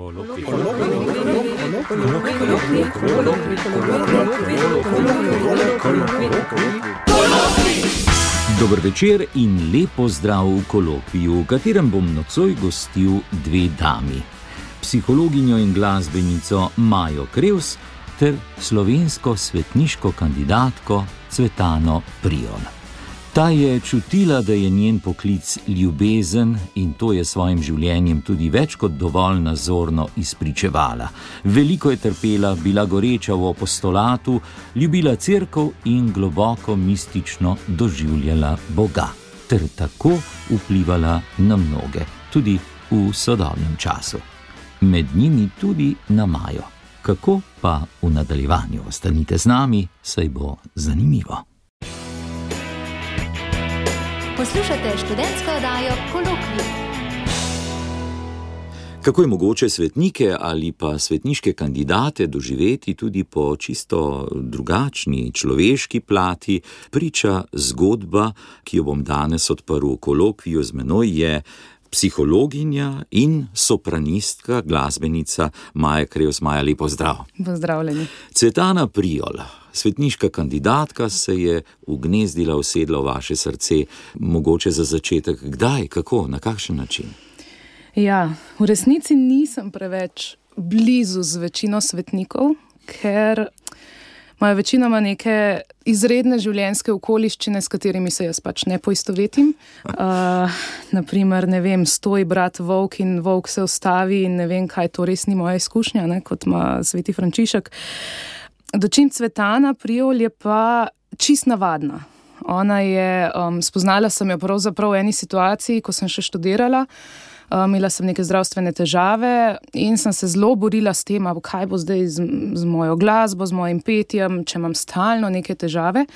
Dober večer in lep pozdrav v kolokviju, v katerem bom nocoj gostil dve dami. Psihologinjo in glasbenico Majo Krevs ter slovensko svetniško kandidatko Cvetano Priol. Ta je čutila, da je njen poklic ljubezen in to je svojim življenjem tudi več kot dovolj nazorno izpričevala. Veliko je trpela, bila goreča v apostolatu, ljubila cerkev in globoko mistično doživljala Boga, ter tako vplivala na mnoge, tudi v sodobnem času. Med njimi tudi na Majo. Kako pa v nadaljevanju? Ostanite z nami, saj bo zanimivo. Poslušate študentsko oddajo Kolokvij. Kako je mogoče svetnike ali pa svetniške kandidate doživeti tudi po čisto drugačni človeški plati, priča zgodba, ki jo bom danes odprl v kolokviju. Z menoj je psihologinja in sopranistka, glasbenica Maja Krevs. Maja, lepo zdrav. Pozdravljeni. Cvetana Priol, svetniška kandidatka, se je ugnezdila, usedla v vaše srce. Mogoče za začetek, kdaj, kako, na kakšen način? Ja, v resnici nisem preveč blizu z večino svetnikov, ker imajo večinoma neke izredne življenjske okoliščine, s katerimi se jaz pač ne poistovetim. Naprimer, ne vem, stoji brat volk in volk se ustavi in ne vem, kaj, to res ni moja izkušnja, ne, kot ima sveti Frančišek. Dočim Cvetana Priol je pa čist navadna. Ona je, spoznala sem jo pravzaprav v eni situaciji, ko sem še študirala. Imela sem neke zdravstvene težave in sem se zelo borila s tem, kaj bo zdaj z mojo glasbo, z mojim petjem, če imam stalno neke težave.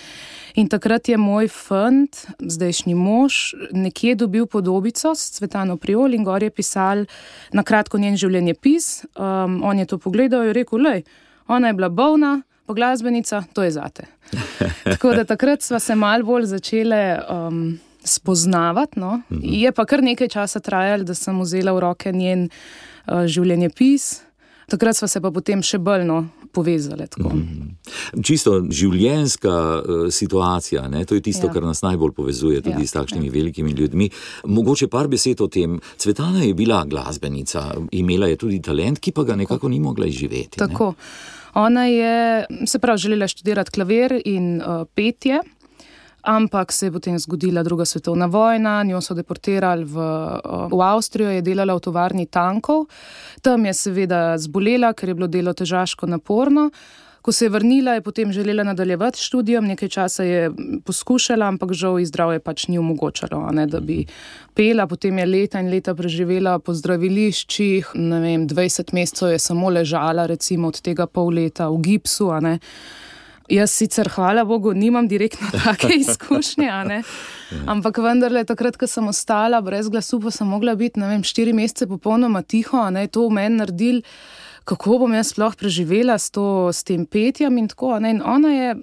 In takrat je moj fant, zdajšnji mož, nekje dobil podobico s Cvetano Priol in gor je pisal na kratko njen življenjepis. On je to pogledal in je rekel, lej, ona je bila bolna, pa glasbenica, to je zate. Tako da takrat sva se malo bolj začele spoznavati, no. Je pa kar nekaj časa trajalo, da sem vzela v roke njen življenjepis. Takrat sva se pa potem še bolj povezali. Čisto življenjska situacija, ne? To je tisto, kar nas najbolj povezuje tudi s takšnimi velikimi ljudmi. Mogoče par besed o tem. Cvetana je bila glasbenica, imela je tudi talent, ki pa ga nekako ni mogla izživeti. Tako. Ona je, se pravi, želela študirati klavir in petje, ampak se je potem zgodila druga svetovna vojna, njo so deportirali v Avstrijo, je delala v tovarni tankov. Tam je seveda zbolela, ker je bilo delo težaško naporno. Ko se je vrnila, je potem želela nadaljevati študijom, nekaj časa je poskušala, ampak žal ji zdravje pač ni omogočalo, da bi pela. Potem je leta in leta preživela po zdraviliščih, 20 mesecev je samo ležala, recimo od tega pol leta v gipsu, Jaz sicer, hvala Bogu, nimam direktno take izkušnje, ampak vendarle, takrat, ko sem ostala brez glasu, pa sem mogla biti, 4 mesece popolnoma tiho, to v meni naredil, kako bom jaz sploh preživela s tem petjem in tako, in ona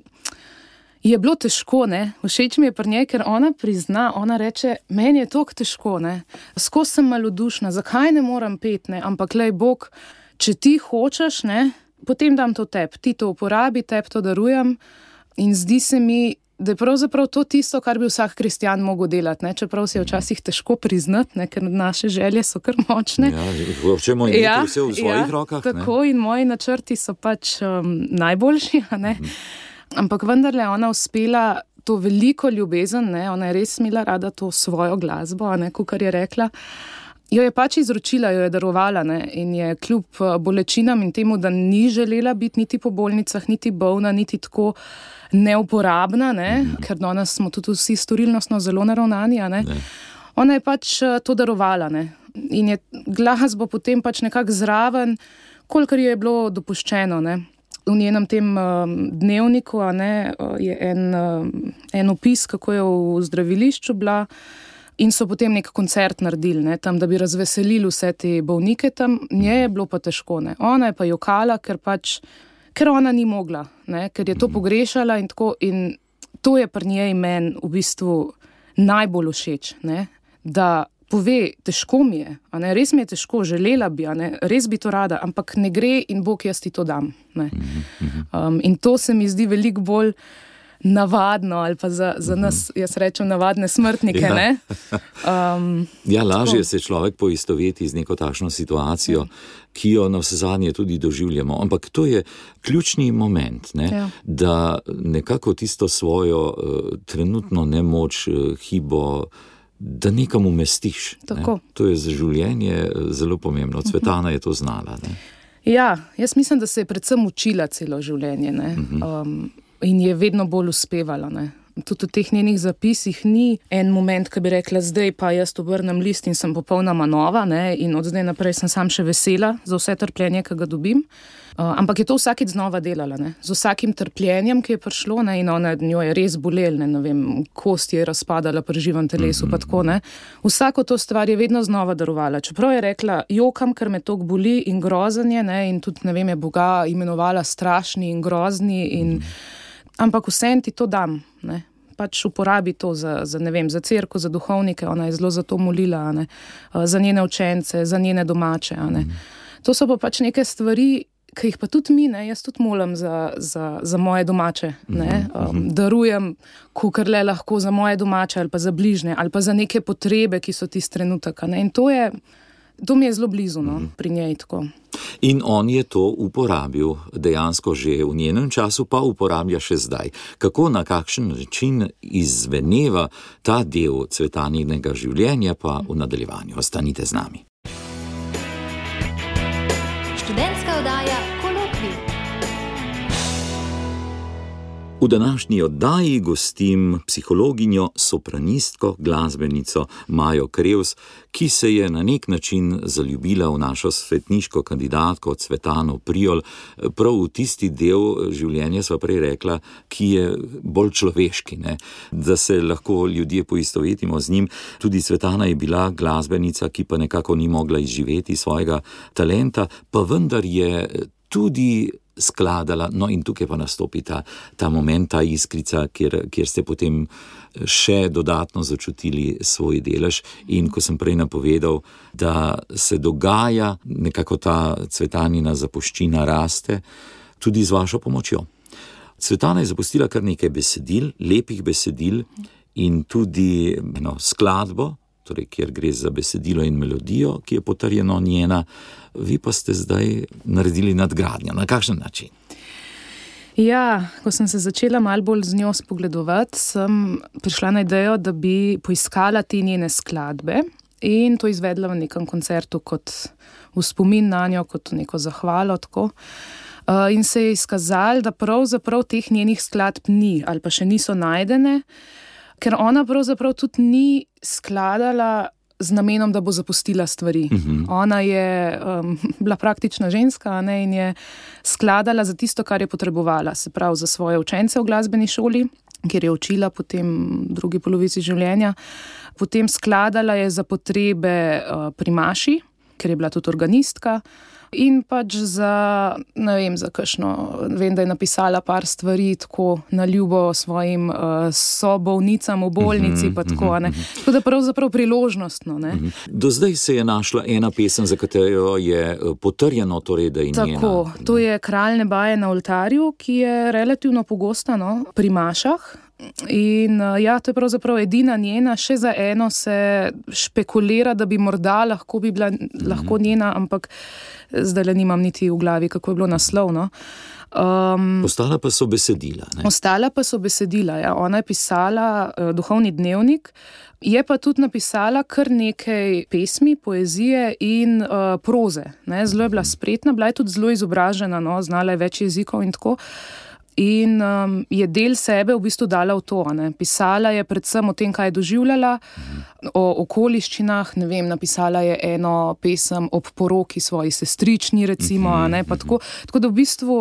je bilo težko, všeč mi je pri njej, ker ona prizna, ona reče, meni je toliko težko, skozi sem malodušna, zakaj ne moram peti, ampak lej Bog, če ti hočeš, potem dam to tebi, ti to uporabi, tebi to darujem in zdi se mi, da je pravzaprav to tisto, kar bi vsak kristjan mogel delati, čeprav si je včasih težko priznati, ker naše želje so kar močne. Hočemo imeti vse v svojih rokah. Tako in moji načrti so pač najboljši, Ampak vendarle ona uspela to veliko ljubezen, ona je res imela rada to svojo glasbo, kakor je rekla. Jo je pač izročila, jo je darovala, in je kljub bolečinam in temu, da ni želela biti niti po bolnicah, niti bolna, niti tako neuporabna, ker danes smo tudi vsi storilnostno zelo naravnani, Ona je pač to darovala, in je glasbo potem pač nekako zraven, kolikor je bilo dopuščeno, V njenem tem dnevniku je en opis, kako je v zdravilišču bila. In so potem nek koncert naredili, tam, da bi razveselili vse te bolnike tam. Nje je bilo pa težko, Ona je pa jokala, ker ona ni mogla, ker je to pogrešala in tako. In to je pri njej meni v bistvu najbolj všeč, da pove, težko mi je, res mi je težko, želela bi, res bi to rada, ampak ne gre in Bog, jaz ti to dam. In to se mi zdi veliko bolj navadno, ali pa za nas, jaz rečem, navadne smrtnike. Lažje se človek poistoveti z neko takšno situacijo, ki jo navsezadnje tudi doživljamo. Ampak to je ključni moment, da nekako tisto svojo trenutno nemoč, hibo, da nekam umestiš. To je za življenje zelo pomembno. Cvetana je to znala. Ja, jaz mislim, da se je predvsem učila celo življenje. In je vedno bolj uspevala. Tudi v teh njenih zapisih ni en moment, ko bi rekla, zdaj pa jaz obrnem list in sem popolnoma nova, in od zdaj naprej sem sam še vesela za vse trpljenje, ki ga dobim. Ampak je to vsakič znova delala. Z vsakim trpljenjem, ki je prišlo, in ona njo je res bolel, kost je razpadala pri živem telesu, pa tako. Vsako to stvar je vedno znova darovala. Čeprav je rekla, jokam, ker me toliko boli in grozen je, in tudi, je Boga imenovala strašni in grozni ampak vsem ti to dam, pač uporabi to za cerkev, za duhovnike, ona je zelo za to molila, za njene učence, za njene domače. To so pa pač neke stvari, ki jih pa tudi mi, jaz tudi molim za moje domače, darujem, kakor le lahko za moje domače ali pa za bližnje, ali pa za neke potrebe, ki so tisti trenutek. In to mi je zelo blizu, pri njej tako. In on je to uporabil dejansko že v njenem času, pa uporablja še zdaj. Kako, na kakšen način izveneva ta del Cvetaninega življenja, pa v nadaljevanju. Ostanite z nami. Študentska oddaja Kolokvij. V današnji oddaji gostim psihologinjo, sopranistko, glasbenico Majo Krevs, ki se je na nek način zaljubila v našo svetniško kandidatko Cvetano Prijol, prav v tisti del življenja, sva prej rekla, ki je bolj človeški, da se lahko ljudje poistovetimo z njim. Tudi Cvetana je bila glasbenica, ki pa nekako ni mogla izživeti svojega talenta, pa vendar je tudi skladala, in tukaj pa nastopi ta moment, ta iskrica, kjer ste potem še dodatno začutili svoj delež. In ko sem prej napovedal, da se dogaja, nekako ta Cvetanina zapuščina raste, tudi z vašo pomočjo. Cvetana je zapustila kar nekaj besedil, lepih besedil in tudi skladbo, torej kjer gre za besedilo in melodijo, ki je potrjeno njena. Vi pa ste zdaj naredili nadgradnjo. Na kakšen način? Ja, ko sem se začela malo bolj z njo spogledovati, sem prišla na idejo, da bi poiskala te njene skladbe in to izvedla v nekem koncertu kot v spomin na njo, kot neko zahvalo. Tako. In se je izkazalo, da pravzaprav teh njenih skladb ni ali pa še niso najdene, ker ona pravzaprav tudi ni skladala z namenom, da bo zapustila stvari. Ona je bila praktična ženska, in je skladala za tisto, kar je potrebovala, se pravi za svoje učence v glasbeni šoli, kjer je učila potem drugi polovici življenja. Potem skladala je za potrebe pri maši, ker je bila tudi organistka. In pač za kakšno, vem, da je napisala par stvari tako na ljubo svojim sobolnicam v bolnici, pa tako, Tako da pravzaprav priložnostno, Do zdaj se je našla ena pesem, za katero je potrjeno, torej, da je njena. Tako, to je Kralj neba je na oltarju, ki je relativno pogosta, pri mašah. In to je pravzaprav edina njena, še za eno se špekulira, da bi morda lahko njena, ampak zdaj le nimam niti v glavi, kako je bilo naslovno. Ostala pa so besedila. Ostala pa so besedila, ja. Ona je pisala duhovni dnevnik, je pa tudi napisala kar nekaj pesmi, poezije in proze. Zelo je bila spretna, bila je tudi zelo izobražena, znala je več jezikov in tako. In je del sebe v bistvu dala v to. Pisala je predvsem o tem, kaj je doživljala, o okoliščinah, napisala je eno pesem ob poroki svoji sestrični, recimo, pa tako da v bistvu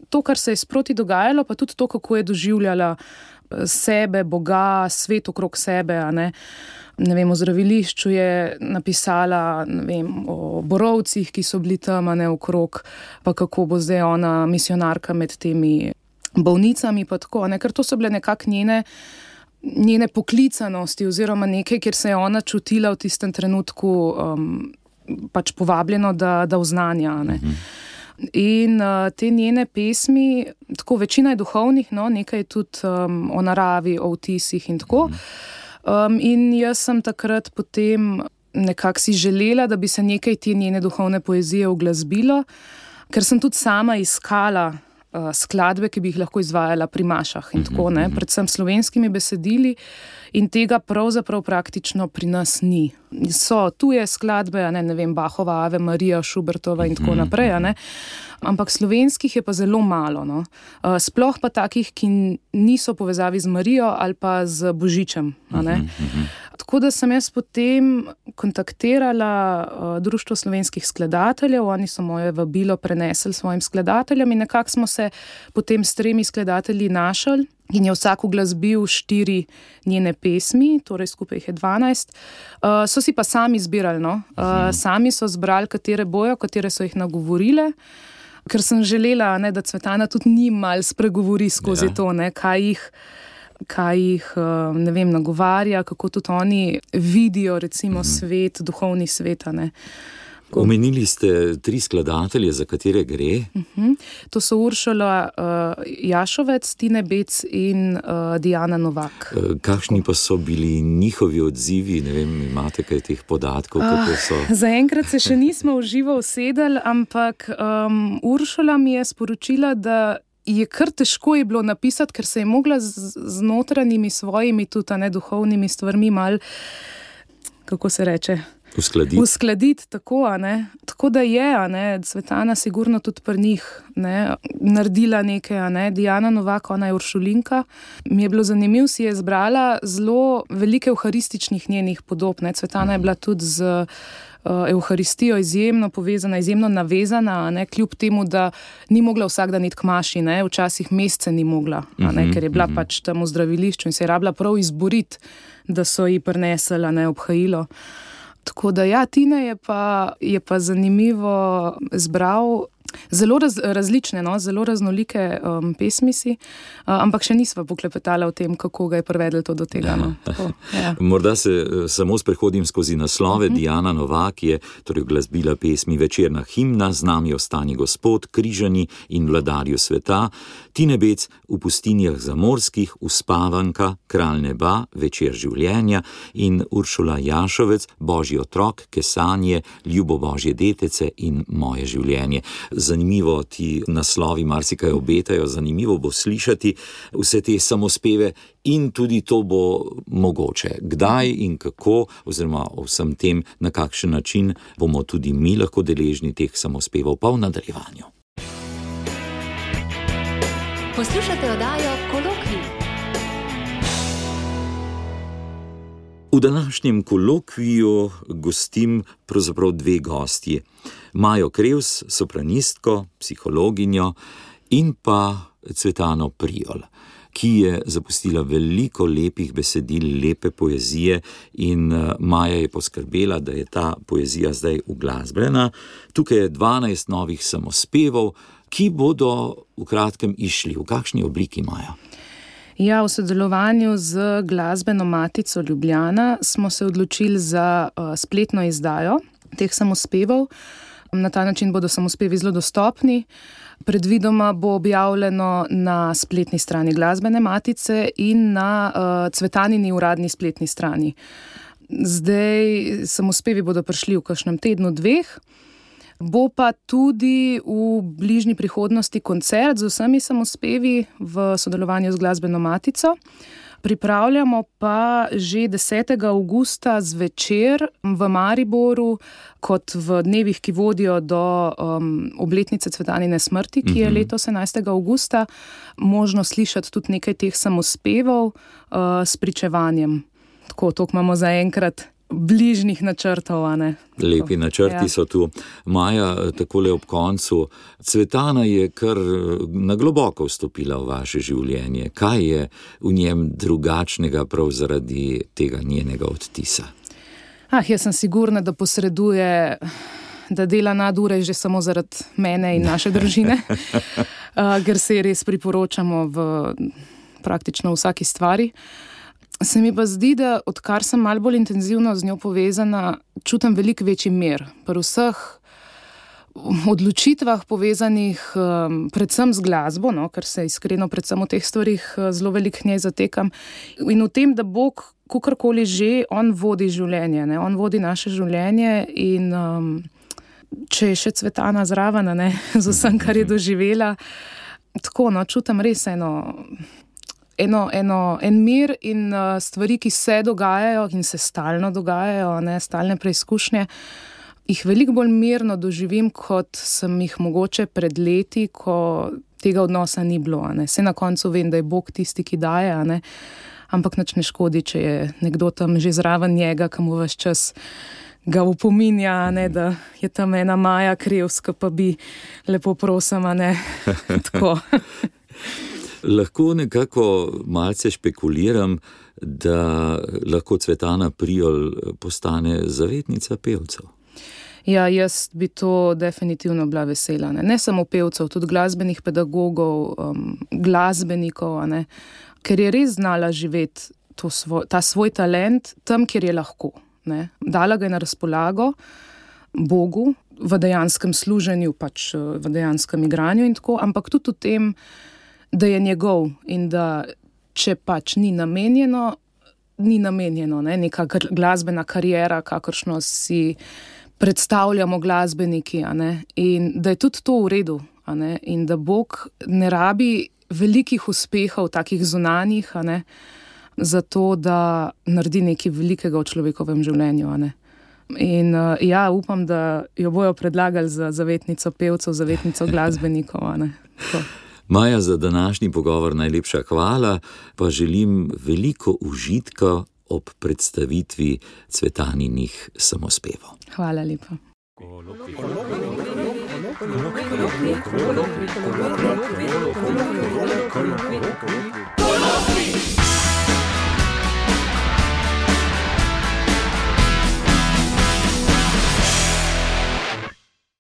to, kar se je sproti dogajalo, pa tudi to, kako je doživljala sebe, Boga, svet okrog sebe, o zdravilišču je napisala, o borovcih, ki so bili tam, okrog, pa kako bo zdaj ona misionarka med temi bolnicami, pa tako, ker to so bile nekako njene njene poklicanosti oziroma nekaj, kjer se je ona čutila v tistem trenutku pač povabljeno, da oznanja. Ne. In te njene pesmi, tako večina je duhovnih, no, nekaj je tudi o naravi, o vtisih in tako. In jaz sem takrat potem nekako si želela, da bi se nekaj te njene duhovne poezije uglasbilo, ker sem tudi sama iskala skladbe, ki bi jih lahko izvajala pri mašah in tako, ne, predvsem slovenskimi besedili, in tega pravzaprav praktično pri nas ni. So tuje skladbe, ne vem, Bachova, Ave Marija, Schubertova in tako naprej, ne, ampak slovenskih je pa zelo malo, no. Sploh pa takih, ki niso v povezavi z Marijo ali pa z Božičem, ne. Tako da sem jaz potem kontaktirala Društvo slovenskih skladateljev, oni so moje vabilo prenesli svojim skladateljem in nekako smo se potem s 3 skladatelji našli in je vsak uglasbil 4 njene pesmi, torej skupaj jih je 12. So si pa sami izbirali, no. Sami so zbrali, katere bojo, katere so jih nagovorile, ker sem želela, ne, da Cvetana tudi njim malo spregovori skozi to, ne, kaj jih, ne vem, nagovarja, kako tudi oni vidijo, recimo, svet, duhovni svet, ne. Omenili ste 3 skladatelje, za katere gre? To so Uršula Jašovec, Tine Bec in Diana Novak. Kakšni pa so bili njihovi odzivi? Ne vem, imate kaj teh podatkov, kako so? Zaenkrat se še nismo v živo usedeli, ampak Uršula mi je sporočila, da je kar težko je bilo napisati, ker se je mogla z notranjimi svojimi tudi duhovnimi stvarmi mal, kako se reče, uskladiti tako, ne. Tako da je, ne, Cvetana sigurno tudi pri njih, ne, naredila nekaj, ne. Diana Novak, ona je Uršulinka. Mi je bilo zanimivo, si je zbrala zelo velike evharističnih njenih podob, ne. Cvetana je bila tudi z Evharistijo izjemno povezana, izjemno navezana, ne, kljub temu, da ni mogla vsak dan iti k maši, ne, včasih mesece ni mogla, ne, ker je bila pač tam v zdravilišču in se je rabila prav izboriti, da so ji prinesli, ne, obhajilo. Tako da ja, Tine je pa zanimivo zbral zelo različne, no, zelo raznolike pesmi si, ampak še nisva poklepetala o tem, kako ga je privedlo to do tega. No. Tako, ja. Morda se samo sprehodim skozi naslove. Diana Novak je torej uglasbila pesmi Večerna himna, Z nami ostani Gospod, Križani in Vladarju sveta, Tine Bec V pustinjah zamorskih, Uspavanka, Kralj neba, Večer življenja in Uršula Jašovec, Božji otrok, Kesanje, Ljubo Božje detece in Moje življenje. Zanimivo, ti naslovi marsikaj obetajo, zanimivo bo slišati vse te samospeve in tudi to bo mogoče. Kdaj in kako, oziroma o vsem tem, na kakšen način bomo tudi mi lahko deležni teh samospevov, pa v nadaljevanju. Poslušate oddajo Kolokvij. V današnjem kolokviju gostim pravzaprav 2 gostji. Majo Krevs, sopranistko, psihologinjo, in pa Cvetano Prijol, ki je zapustila veliko lepih besedil, lepe poezije, in Maja je poskrbela, da je ta poezija zdaj uglasbljena. Tukaj je 12 novih samospevov, ki bodo v kratkem išli. V kakšni obliki, Maja? Ja, v sodelovanju z Glasbeno matico Ljubljana smo se odločili za spletno izdajo teh samospevov. Na ta način bodo samospevi zelo dostopni. Predvidoma bo objavljeno na spletni strani Glasbene matice in na Cvetanini uradni spletni strani. Zdaj samospevi bodo prišli v kakšnem tednu, 2. Bo pa tudi v bližnji prihodnosti koncert z vsemi samospevi v sodelovanju z Glasbeno matico. Pripravljamo pa že 10. avgusta zvečer v Mariboru, kot v dnevih, ki vodijo do obletnice Cvetanine smrti, ki je letos 11. avgusta, možno slišati tudi nekaj teh samospevov s pričevanjem. Tako, toliko imamo zaenkrat bližnjih načrtov, a ne? Lepi načrti so tu. Maja, takole ob koncu, Cvetana je kar na globoko vstopila v vaše življenje. Kaj je v njem drugačnega prav zaradi tega njenega odtisa? Jaz sem sigurna, da posreduje, da dela nadure že samo zaradi mene in naše družine, ker se res priporočamo v praktično vsaki stvari. Se mi pa zdi, da odkar sem malo bolj intenzivno z njo povezana, čutim veliko večji mir. Pri vseh odločitvah povezanih predvsem z glasbo, no, ker se iskreno predvsem v teh stvarih zelo veliko njej zatekam. In v tem, da Bog, kakorkoli že, on vodi življenje, ne, on vodi naše življenje in če je še Cvetana zraven, ne, z vsem, kar je doživela, tako, no, čutim res en mir in stvari, ki se dogajajo in se stalno dogajajo, ne, stalne preizkušnje, jih veliko bolj mirno doživim, kot sem jih mogoče pred leti, ko tega odnosa ni bilo. Ne. Saj na koncu vem, da je Bog tisti, ki daje, ne. Ampak nič ne škodi, če je nekdo tam že zraven njega, ki mu ves čas ga upominja, ne, da je tam ena Maja Krevs, ki pa bi lepo prosim, ne, tako. Lahko nekako malce špekuliram, da lahko Cvetana Prijol postane zavetnica pevcev. Ja, jaz bi to definitivno bila vesela. Ne samo pevcev, tudi glasbenih pedagogov, glasbenikov, ne, ker je res znala živeti ta svoj talent tam, kjer je lahko. Ne. Dala ga je na razpolago Bogu v dejanskem služenju, pač v dejanskem igranju in tako, ampak tudi v tem, da je njegov in da če pač ni namenjeno, ne, neka glasbena kariera, kakršno si predstavljamo glasbeniki, a ne, in da je tudi to v redu, a ne, in da Bog ne rabi velikih uspehov, takih zunanjih, a ne, zato, da naredi nekaj velikega v človekovem življenju, a ne. In ja, upam, da jo bojo predlagali za zavetnico pevcev, zavetnico glasbenikov, a ne. To. Maja, za današnji pogovor najlepša hvala, pa želim veliko užitka ob predstavitvi Cvetaninih samospevov. Hvala lepa. Kolokvij.